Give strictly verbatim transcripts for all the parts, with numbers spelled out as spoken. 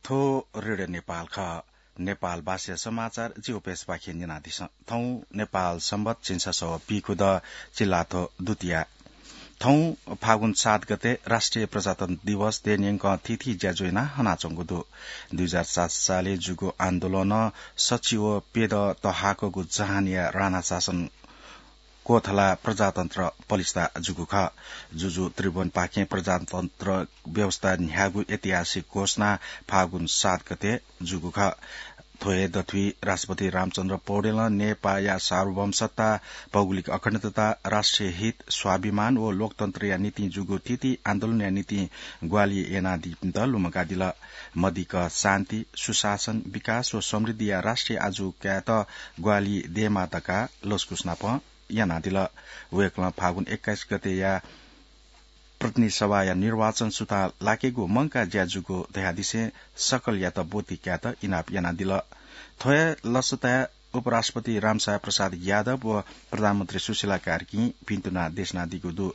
थ्व रेडियो नेपाल खः। नेपाल भाषा समाचार जिगु पेजपाखें न्यनादिसँ। थौं नेपाल संवत झिंछसः व पीखुदँ चिल्लाथ्व दुतिया। थौं फागुन सात गते राष्ट्रिय प्रजातन्त्र दिवस देय्‌न्यंकं थीथी ज्याझ्वः यानाः हनाच्वंगु दु। दुई हजार सात सालय् जूगु आन्दोलनं सच्छि व प्यदँ तःहाकःगु जहानया राणा शासन क्वथलाः प्रजातन्त्र पलिस्था जूगु खः। जुजु त्रिभुवनपाखें प्रजातन्त्र व्यवस्था न्ह्याःगु ऐतिहासिक घोषणा फागुन सात गते जूगु खः। थ्व हे दथुइ राष्ट्रपति रामचन्द्र पौडेलं नेपाःया सार्वभौम सत्ता, भौगोलिक अखण्डता, राष्ट्रिय हित, स्वाभिमान व लोकतन्त्रया निंतिं जूगु थीथी आन्दोलनया निंतिं ग्वाहालि यानादीपिन्त लुमंकादिल। मदिक्क शान्ति, सुशासन, विकास व समृद्धिया राष्ट्रिय आजु कायेत ग्वाहालि दयेमाः धकाः लसकुस नाप यानादिल। वय्‌कलं फागुन एक्काइस गतेया प्रतिनिधि सभाया निर्वाचन सुथां लाकेगु मंकाः ज्या जूगु धयादिसें सकलयात ब्वति कायेत इनाप यानादिल। थ्व हे लसताय् उपराष्ट्रपति रामसाय प्रसाद यादव व प्रधानमन्त्री सुशीला कार्कीं भिन्तुना देछानादीगु दु।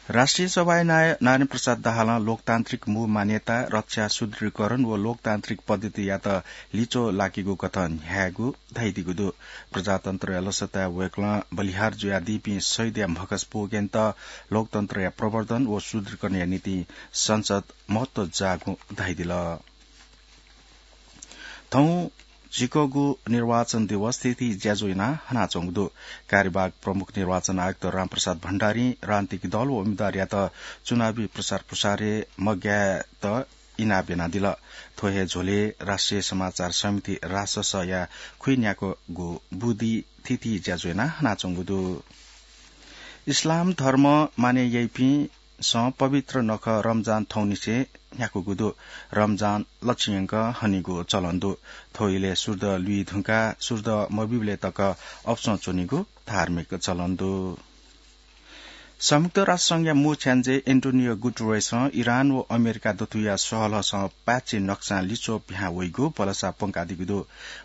राष्ट्रिय सभाया नायः नारायण प्रसाद दाहालं लोकतान्त्रिक मू मान्यता, रक्षा, सुदृढीकरण व लोकतान्त्रिक पद्धतियात लिच्वः लाकेगु कथं न्ह्यायेगु धयादीगु दु। प्रजातन्त्रया लसताय् वय्‌कलं बलिहार जुयादीपिं शहीदया म्हगस पुगेन्त लोकतन्त्रया प्रवर्धन व सुदृढीकरणया निंतिं संसद महत्व जाःगु धयादिल। थौं झिक्वःगु निर्वाचन दिवस थीथी ज्याझ्वः यानाः हनाच्वंगु दु। कार्यवाहक प्रमुख निर्वाचन आयुक्त रामप्रसाद भण्डारीं राजनीतिक दल व उम्मेदवारयात चुनावी प्रचार प्रसारय् मग्यायेत इनाप यानादिल। थ्व हे झ्वलय् राष्ट्रिय समाचार समिति राससया खुइन्याक्वःगु बुदिं थीथी ज्याझ्वः यानाः हनाच्वंगु दु। इस्लाम धर्म मानय् याइपिन्सं पवित्र नखः रमजान थौंनिसें न्ह्याकूगु दु। रमजान लच्छि यंकं हनीगु चलन दु। थ्व इलय् सूर्य लुइ धुंकाः सूर्य मबिबलय् तक अपसं च्वनीगु धार्मिक चलन दु। संयुक्त राष्ट्र संघया मू छ्याञ्जे एन्टोनियो गुटरेसं इरान व अमेरिका दथुया सहलहसं पाय्‌छि नक्सां लिच्वः पिहां वइगु भलसा प्वंकादीगु दु।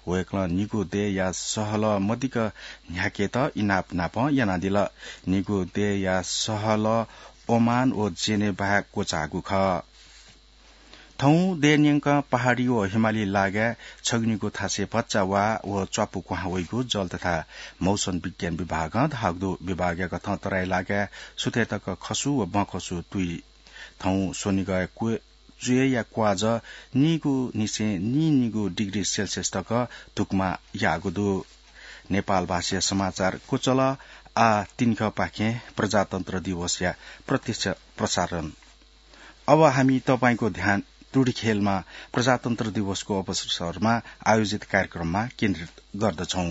वय्‌कलं निगू देय्‌या सहलह मदिक्क न्ह्याकेत इनाप नाप यानादिल। निगू देय्‌या सहलह ओमान व जेनेभाय् क्वचाःगु खः। थौं देय्‌न्यंकं पहाडी व हिमाली लागाय् छगू निगू थासय् भचा वा व च्वापु क्वहां वइगु जल तथा मौसम विज्ञान विभागं धाःगु दु। विभागया कथं तराई लागाय् सुथय् तक खसु व बँखसु तुइ। थौं स्वनिगःया क्व-, च्वय्‌या क्वाःजः नीगू निसें नीनिगू डिग्री सेल्सियस तक धुकमा याःगु दु। नेपाल भाषाया समाचार क्वचल। आः तिनिखपाखें प्रजातन्त्र दिवसया प्रत्यक्ष प्रसारण। अब हामी तपाईंको ध्यान टुँडिखेलमा प्रजातन्त्र दिवसको अवसरमा आयोजित कार्यक्रममा केन्द्रित गर्दछौं।